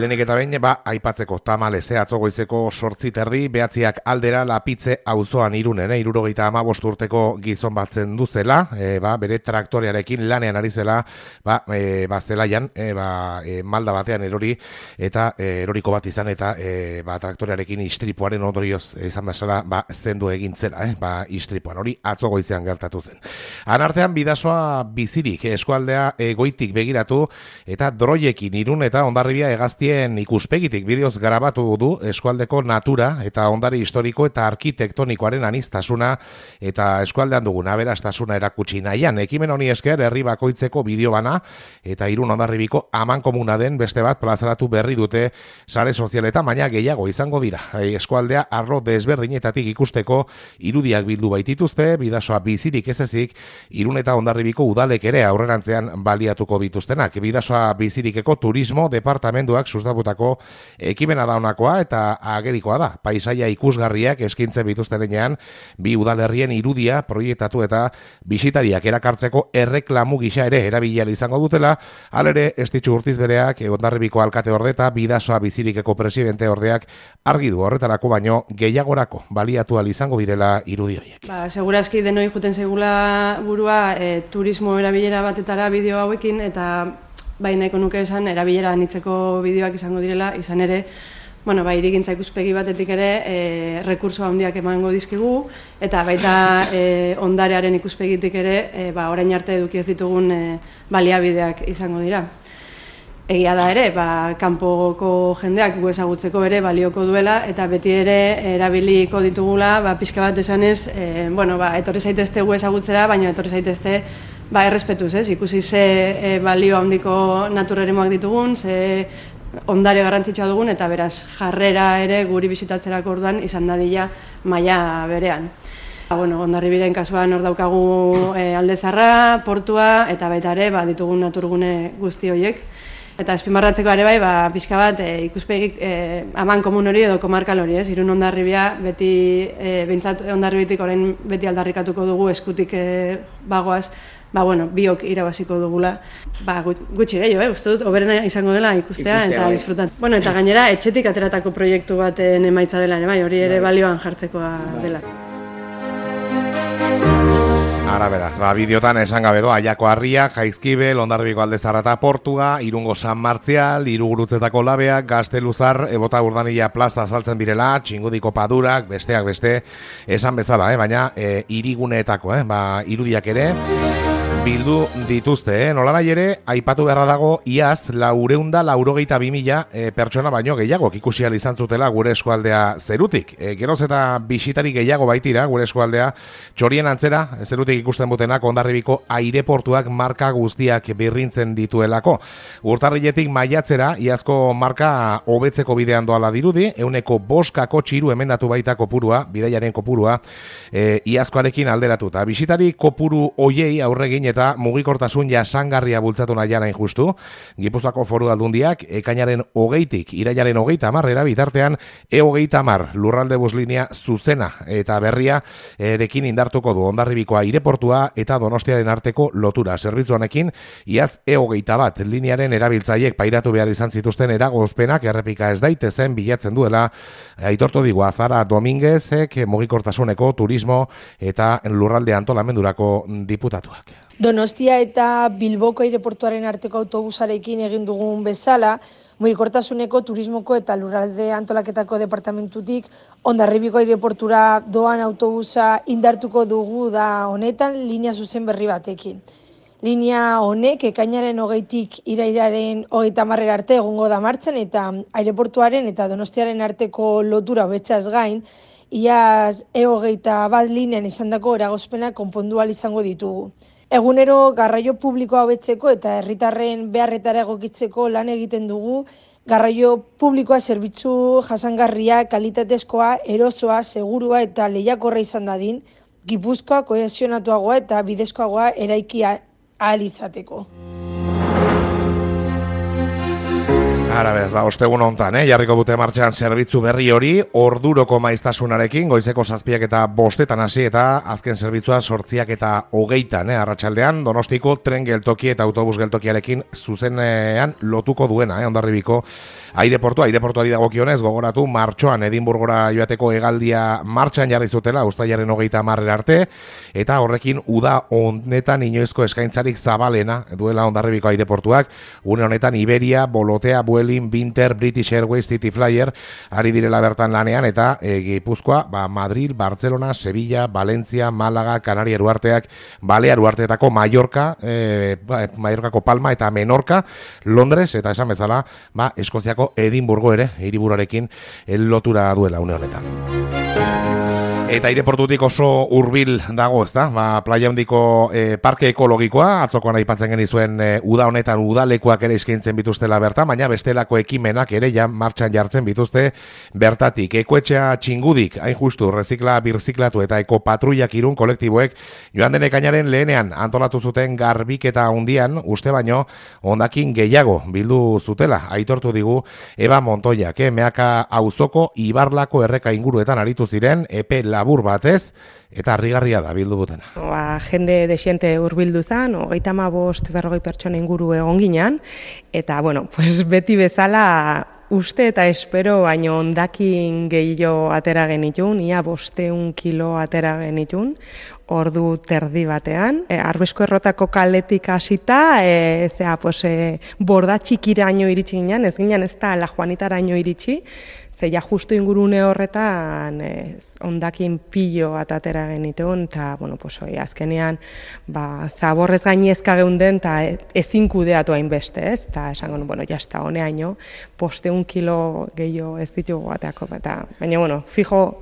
lehenik eta behin, aipatzeko tamalez, atzo goizeko 8:30, 9 aldera Lapitze auzoan Irunen, 75 urteko gizon batzen duzela, bere traktorearekin lanean ari zela, zelaian, malda batean erori, eta eroriko bat izan, eta traktorearekin istripuaren ondorioz izan bezala, zendu egin zela, istripuan hori atzo goizean gertatu zen. Anartean Bidasoa bizirik, eskualdea goitik begiratu, eta droiekin Irun eta Hondarribia hegaztien ikuspegitik bideoz grabatu du eskualdeko natura eta ondare historiko eta arkitektonikoaren aniztasuna eta eskualdean dugun aberastasuna erakutsi nahian. Ekimen honi esker herri bakoitzeko bideo bana eta Irun Hondarribiko amankomuna den beste bat plazaratu berri dute sare sozialetan, baina gehiago izango dira. Eskualdea arlo desberdinetatik ikusteko irudiak bildu baitituzte, Bidasoa bizirik ez ezik, Irun eta Hondarribiko udalek ere aurrerantzean baliatuko bituztenak. Bidasoa bizirikeko turismo departamentuak sustatutako ekimena da honakoa eta agerikoa da. Paisaia ikusgarriak eskintzen bituztenean, bi udalerrien irudia proiektatu eta bisitariak erakartzeko erreklamu gisa ere erabilia izango dutela, halere Estitxu Urtizbereak, Hondarribiko alkate orde eta Bidasoa bizirikeko presidente ordeak argi du horretarako baino gehiagorako baliatu ahal izango direla irudi horiek. Segurazki denoi juten zaigula burua turismo erabilera batetara bideo hauekin, eta nahiko nuke esan erabilera anitzeko bideoak izango direla, izan ere, hirigintza ikuspegi batetik ere rekurso handiak emango dizkigu, eta baita ondarearen ikuspegitik ere orain arte eduki ez ditugun baliabideak izango dira. Egia da ere, kanpoko jendeak gu ezagutzeko ere balioko duela, eta beti ere erabiliko ditugula, pixka bat esanez, etorri zaitezte gu ezagutzera, baina etorri zaitezte errespetuz, ikusi ze balio handiko naturreremoak ditugun, ze ondare garrantzitsua dugun, eta beraz jarrera ere guri bisitatzerako orduan izan dadila maila berean. Hondarribiren kasuan hor daukagu Alde Zaharra, portua, eta baita ere ditugun naturgune guzti horiek. Eta azpimarratzeko ere pixka bat ikuspegik aman komun hori edo komarkal hori, Irun Hondarribia, beti, behintzat Hondarribitik orain beti aldarrikatuko dugu eskutik bagoaz, biok irabaziko dugula. Gutxi gehiago, uste dut, oberena izango dela ikustea eta disfrutan. Eta gainera, etxetik ateratako proiektu baten emaitza dela, hori ere balioan jartzekoa dela. Ara beraz, bideotan esan gabe doa, Aiako Harria, Jaizkibel, Hondarribiko Alde Zaharra eta Portuga, Irungo San Martzial, Irugurutzetako Labeak, Gazteluzar, Ebota Urdanilla plaza azaltzen direla, Txingudiko Padurak, besteak beste, esan bezala, baina iriguneetako, irudiak ere, bildu dituzte, nolanahi ere, aipatu beharra dago, iaz, 492.000 pertsona baino gehiago ikusi ahal izan zutela gure eskualdea zerutik. Geroz eta bisitari gehiago baitira gure eskualdea, txorien antzera, zerutik ikusten butenak, Hondarribiko aireportuak marka guztiak birrintzen dituelako. Urtarriletik maiatzera, iazko marka hobetzeko bidean doala dirudi, 5% emendatu baita kopurua, bidaiaren kopurua, iazkoarekin alderatuta. Bisitari kopuru hoiei aurregin eta mugikortasun jasangarria bultzatu nahian hain justu. Gipuzkoako Foru Aldundiak ekainaren 20tik irailaren 30 bitartean E30 lurralde buslinea zuzena eta berria erekin indartuko du Hondarribiko aireportua eta Donostiaren arteko lotura zerbitzuanekin. Iaz E21 linearen erabiltzaileek pairatu behar izan zituzten eragozpenak errepika ez daitezen bilatzen duela aitortu digu Azara Dominguezek mugikortasuneko turismo eta lurralde antolamendurako diputatuak. Donostia eta Bilboko aireportuaren arteko autobusarekin egin dugun bezala, mugikortasuneko turismoko eta lurralde antolaketako departamentutik Hondarribiko aireportura doan autobusa indartuko dugu da honetan linea zuzen berri batekin. Linea honek ekainaren 20tik irailaren 30 arte egongo da martxan eta aireportuaren eta Donostiaren arteko lotura hobetzaz gain, iaz E21 linean izandako eragozpenak konpondu ahal izango ditugu. Egunero garraio publikoa hobetzeko eta herritarren beharretara egokitzeko lan egiten dugu, garraio publikoa zerbitzu jasangarria, kalitatezkoa, erosoa, segurua eta lehiakorra izan dadin, Gipuzkoa kohesionatuagoa eta bidezkoagoa eraiki ahal izateko. Ara beraz, ostegun hontan, jarriko dute martxan zerbitzu berri hori, orduroko maiztasunarekin, goizeko 7 eta 5 hasi eta azken zerbitzua 8 eta 20 arratsaldean, Donostiko tren geltoki eta autobus geltokiarekin zuzenean lotuko duena, Hondarribiko aireportuari dagokionez, gogoratu martxoan Edinburgora joateko hegaldia martxan jarri zutela, uztailaren 30 arte, eta horrekin uda honetan inoizko eskaintzarik zabalena duela Hondarribiko aireportuak, une honetan Iberia, Bolotea, Vueling, Binter, British Airways, City Flyer ari direla bertan lanean, eta Gipuzkoa, Madrid, Barcelona, Sevilla, Valencia, Málaga, Kanaria Uarteak, Balear Uarteetako Mallorcako Palma eta Menorca, Londres, eta esan bezala, Eskoziako Edinburgo ere, hiriburuarekin lotura duela une honetan. Eta aireportutik oso hurbil dago, ezta? Playa Handiko parke ekologikoa, atzokoan aipatzen genizuen uda honetan udalekuak ere eskaintzen bituztela bertan, baina bestelako ekimenak ere martxan jartzen bituzte bertatik. Ekoetxea Txingudik, hain justu, rezikla, birziklatu eta ekopatruiak Irun kolektiboek joan den ekainaren lehenean antolatu zuten garbiketa handian, uste baino, hondakin gehiago bildu zutela, aitortu digu Eba Montoiak, Meaka auzoko Ibarlako erreka inguruetan aritu ziren, epe labur batez, eta harrigarria da bildu butena. Jende desiente hurbildu zen, 35-40 pertsona inguru egon ginean, eta beti bezala uste eta espero baino hondakin gehiago atera genitun, ia 500 kilo atera genitun, ordu terdi batean. Arbesko errotako kaletik hasita, borda txikiraino iritsi ginen, ez ginen ez da La Juanitaraino iritsi, zeia justu ingurune horretan hondakin pilo bat atera genituen, eta azkenean zaborrez gainezka geunden, eta ezin kudeatu hainbeste, ez? Eta esango, jazta, honeaino, 500 kilo gehiago ez ditugu bateako, baina, fijo,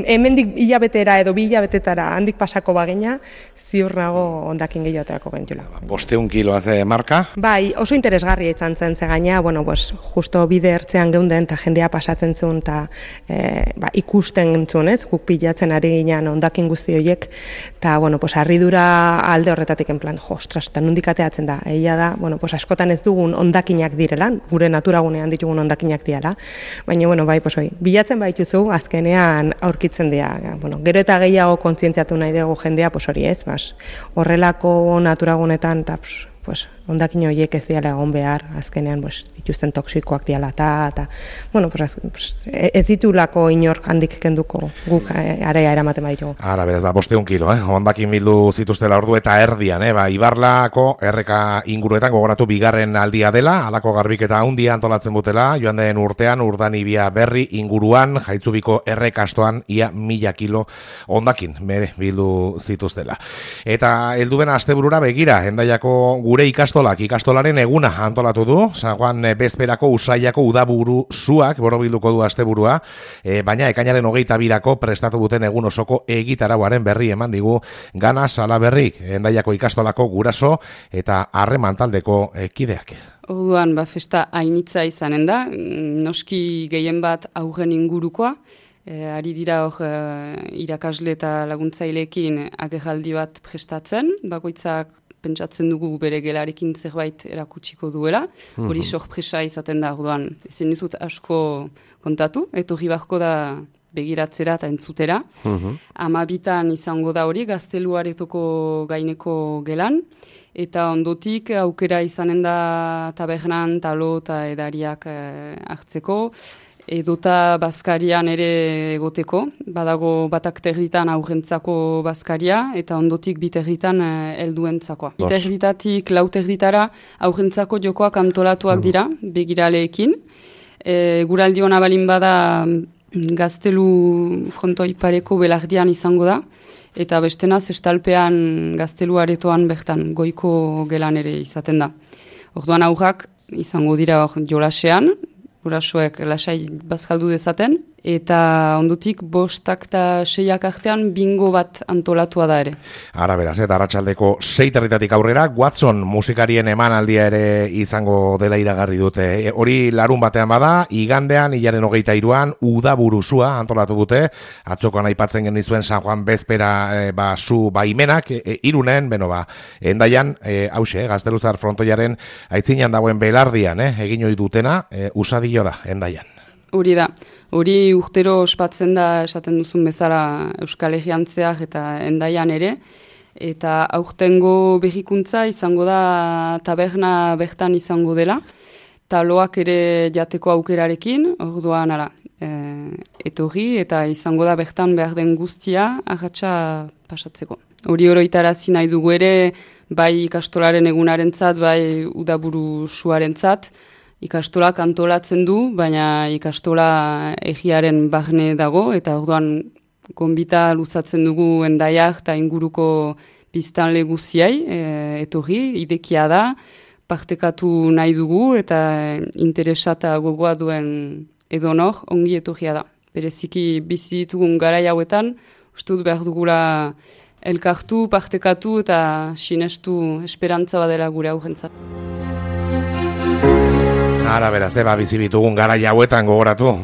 hemendik hilabetera edo 2 hilabetetara handik pasako bagina, ziur nago hondakin gehiago aterako genitula. 500 kilo haze marka? Bai, oso interesgarria izan zen ze gaina, justo bide ertzean geunden eta jendea pasatzen zuen eta ikusten zuen, ez? Guk pilatzen ari ginean hondakin guzti horiek, eta harridura alde horretatik en plan, ostras, eta nondik ateatzen da. Egia da, askotan ez dugun hondakinak direla, gure naturagunean ditugun hondakinak direla, baina bilatzen baituzu azkenean aurkitzen dira. Gero eta gehiago kontzientziatu nahi dugu jendea, hori ez, horrelako naturagunetan, eta hondakin horiek ez diala egon behar, azkenean dituzten toksikoak diala, eta ez ditulako inork handik kenduko guk area eramaten baditugu. Ara, berez, 500 kilo, hondakin bildu zituztela ordu eta erdian, Ibarlako erreka inguruetan gogoratu bigarren aldia dela, alako garbiketa handia antolatzen butela, joan den urtean, Urdanibia berri inguruan, Jaitzubiko errekastoan, ia 1000 kilo hondakin bildu zituztela. Eta helduen asteburura begira, Hendaiako gure ikastolaren eguna antolatu du, San bezperako Usaiako udaburu zuak borobilduko du asteburua, baina ekainaren 22 prestatu duten egun osoko egitarauaren berri eman digu Gana Salaberrik, Hendaiako ikastolako guraso eta harreman taldeko kideak. Orduan, festa hainitza izanen da, noski gehien bat aurren ingurukoa, ari dira hor irakasle eta laguntzaileekin agerraldi bat prestatzen, bakoitzak pentsatzen dugu bere gelarekin zerbait erakutsiko duela, hori sorpresa izaten da, orduan, ezin dizut asko kontatu, etorri barko da begiratzera eta entzutera. 12 izango da hori, Gazteluaretoko gaineko gelan, eta ondotik aukera izanen da tabernan, talo eta edariak hartzeko, edota bazkarian ere egoteko, badago batak terditan aurrentzako bazkaria, eta ondotik biterditan helduentzakoa. Biterditatik 4 terditara aurrentzako jokoak antolatuak dira, begiraleekin. Guraldi hona balin bada Gaztelu frontoi pareko belardian izango da, eta bestenaz estalpean Gaztelu aretoan bertan goiko gelan ere izaten da. Orduan aurrak izango dira jolasean, gurasoek lasai bazkaldu dezaten, eta ondotik 5 eta 6 artean bingo bat antolatua da ere. Ara beraz, eta arratsaldeko 6:00 aurrera, Watson musikarien emanaldia ere izango dela iragarri dute. Hori larun batean bada, igandean, hilaren 23an, udaburuzua antolatu dute, atzokoan aipatzen genizuen San Juan bezpera zu baimenak, Irunen, Hendaian, hause, Gazteluzar frontoiaren aitzinean dagoen belardian, egin ohi dutena, usadio da, Hendaian. Hori da, hori urtero ospatzen da esaten duzun bezala Euskal Herriantzeak eta Hendaian ere, eta aurtengo berrikuntza izango da taberna bertan izango dela, taloak ere jateko aukerarekin, orduan etorri eta izango da bertan behar den guztia arratsa pasatzeko. Hori oroitarazi nahi dugu ere, bai ikastolaren egunarentzat, bai udaburu suarentzat, ikastolak antolatzen du, baina ikastola egiaren barne dago, eta orduan gonbita luzatzen dugu Hendaiak eta inguruko biztanle guziai, etorri, idekia da, partekatu nahi dugu, eta interesata gogoa duen edonor ongi etorria da. Bereziki bizi ditugun garai hauetan, uste dut behar dugula elkartu, partekatu eta sinestu esperantza badela gure aurrentzat. Ara beraz, bizi bitugun garai hauetan gogoratu,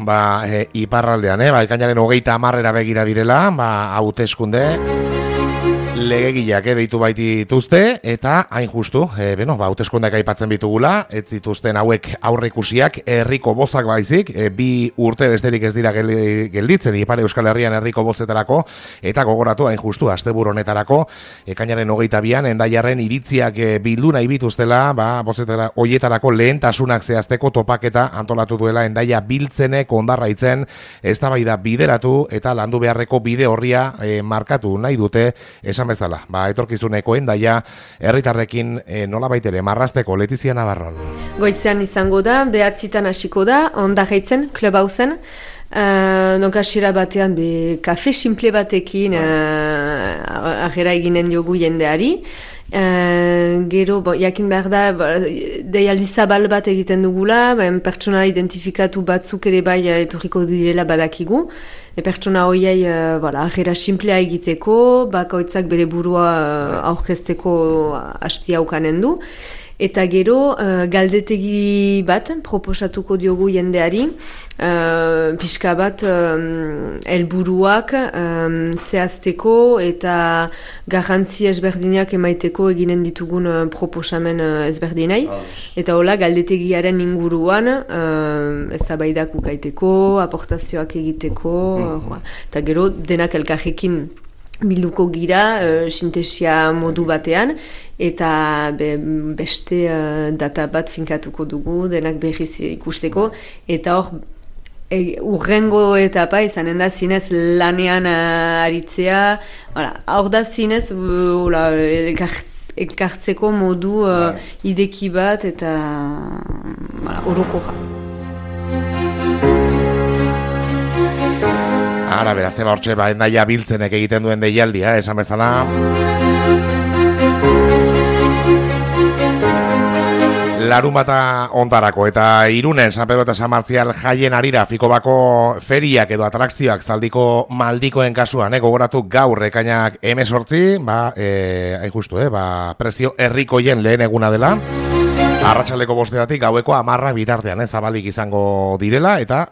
iparraldean, ekainaren 30 begira direla, hauteskunde legegileak deitu baitituzte, eta hain justu, hauteskundeak aipatzen bitugula, ez zituzten hauek aurreikusiak herriko bozak baizik, 2 urte besterik ez dira gelditzen, Ipar Euskal Herrian herriko bozetarako, eta gogoratu hain justu, asteburu honetarako, ekainaren 22an, Hendaiarren iritziak bildu nahi bituztela, bozetara hoietarako lehentasunak zehazteko topaketa antolatu duela Hendaia biltzenek ondarraitzen, eztabaida bideratu eta landu beharreko bide horria markatu nahi dute, esan bezala, etorkizuneko Hendaia herritarrekin nolabait ere marrazteko. Letizia Navarron. Goizean izango da, 9:00 hasiko da, Ondarraitzen, Clubhausen, hasiera batean kafe simple batekin agera eginen diogu jendeari. Gero, jakin behar da, deialdi zabal bat egiten dugula, pertsona identifikatu batzuk ere bai etorriko direla badakigu. Pertsona horiei agera simplea egiteko, bakoitzak bere burua aurkezteko hastia ukanen du. Eta gero, galdetegi bat proposatuko diogu jendeari, pixka bat helburuak zehazteko eta garrantzi ezberdinak emaiteko eginen ditugun proposamen ezberdinai. Eta hola, galdetegiaren inguruan eztabaidak ukaiteko, aportazioak egiteko, eta gero denak elkarrekin bilduko gira, sintesia modu batean, eta beste data bat finkatuko dugu, denak berriz ikusteko, eta hor, urrengo etapa izanen da zinez lanean aritzea, hor da zinez elkartzeko modu ideki bat, eta orokorra. Ara, beraz, hortxe, Hendaia biltzenek egiten duen deialdia, esan bezala. Larunbata Ondarako eta Irunen San Pedro eta San Martzial jaien arira Fikobako feriak edo atrakzioak zaldiko maldikoen kasuan, gogoratu gaur ekainak 18, hain justu, prezio herrikoien lehen eguna dela. Arratsaldeko 5:00 gaueko 10 bitartean zabalik izango direla, eta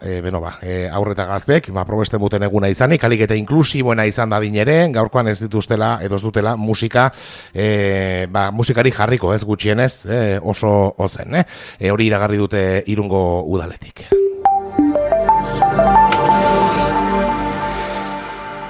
aurreta gaztek probesten duten eguna izanik, alik eta inklusiboena izan dadin ere, gaurkoan ez dituztela edo ez dutela musika musikari jarriko ez gutxienez oso ozen. Hori iragarri dute Irungo udaletik.